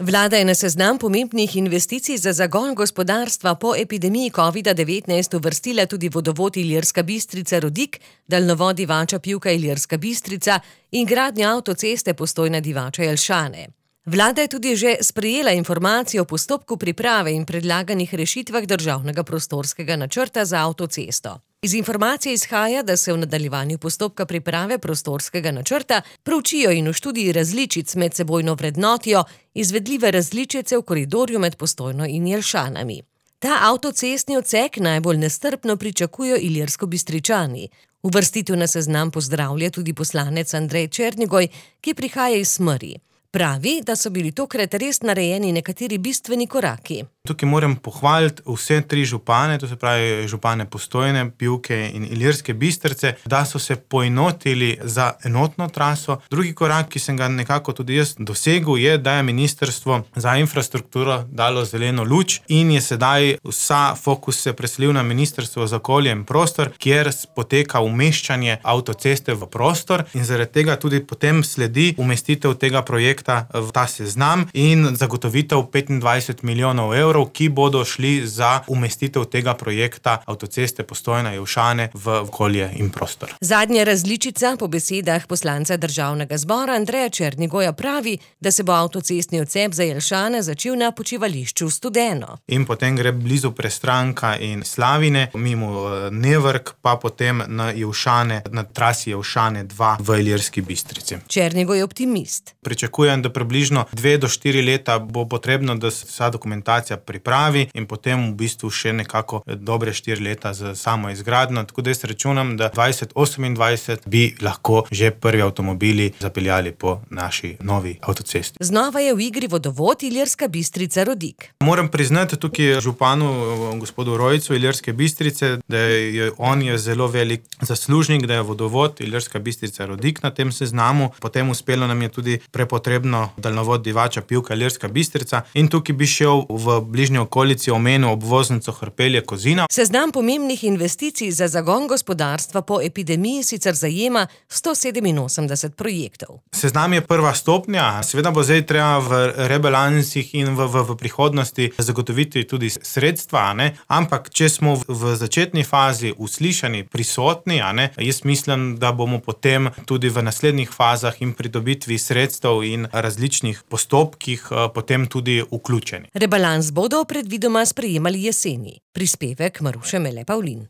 Vlada je na seznam pomembnih investicij za zagon gospodarstva po epidemiji COVID-19 uvrstila tudi vodovod Ilirska Bistrica-Rodik, daljnovod Divača-Pivka Ilirska Bistrica in gradnjo avtoceste Postojna-Divača-Jelšane. Vlada je tudi že sprejela informacijo o postopku priprave in predlaganih rešitvah državnega prostorskega načrta za avtocesto. Iz informacije izhaja, da se v nadaljevanju postopka priprave prostorskega načrta proučijo in v študiji različic medsebojno vrednotijo izvedljive različice v koridorju med Postojno in Jelšanami. Ta avtocestni odsek najbolj nestrpno pričakujejo Ilirskobistričani. Uvrstitev na seznam pozdravlja tudi poslanec Andrej Černigoj, ki prihaja iz Smrij. Pravi, da so bili tokrat res narejeni nekateri bistveni koraki. Tukaj moram pohvaliti vse tri župane, to se pravi župane Postojne, Pivke in Ilirske Bistrice, da so se poenotili za enotno traso. Drugi korak, ki sem ga nekako tudi jaz dosegel, je, da je Ministrstvo za infrastrukturo dalo zeleno luč in je sedaj vsa fokus se preselil na Ministrstvo za okolje in prostor, kjer poteka umeščanje avtoceste v prostor in zaradi tega tudi potem sledi umestitev tega projekta v ta seznam in zagotovitev 25 milijonov evrov, ki bodo šli za umestitev tega projekta avtoceste Postojna-Jelšane v okolje in prostor. Zadnja različica po besedah poslanca Državnega zbora Andreja Černigoja pravi, da se bo avtocestni odsek za Jelšane začel na počivališču Studeno. In potem gre blizu Prestranka in Slavine, mimo Nevrk, pa potem na Jelšane, na trasi Jelšane 2 v Ilirski Bistrici. Černigoj je optimist. Pričakujem, da približno 2 do 4 leta bo potrebno, da se vsa dokumentacija pripravi in potem v bistvu še nekako dobre 4 leta za samo izgradnjo. Tako da jaz računam, da 2028 bi lahko že prvi avtomobili zapeljali po naši novi avtocesti. Znova je v igri vodovod Ilirska Bistrica-Rodik. Moram priznati tukaj županu gospodu Rojcu Ilirske Bistrice, da on je zelo velik zaslužnik, da je vodovod Ilirska Bistrica-Rodik na tem seznamu. Potem uspelo nam je tudi prepotrebno daljnovod Divača-Pivka Ilirska Bistrica in tukaj bi šel v bližnji okolici omenil obvoznico Hrpelje-Kozina. Seznam pomembnih investicij za zagon gospodarstva po epidemiji sicer zajema 187 projektov. Seznam je prva stopnja, seveda bo zdaj treba v rebalansih in v prihodnosti zagotoviti tudi sredstva, ampak če smo v začetni fazi uslišani, prisotni, jaz mislim, da bomo potem tudi v naslednjih fazah in pridobitvi sredstev in različnih postopkih potem tudi vključeni. Rebalans bodo predvidoma sprejemali jeseni. Prispevek Maruše Mele Pavlin.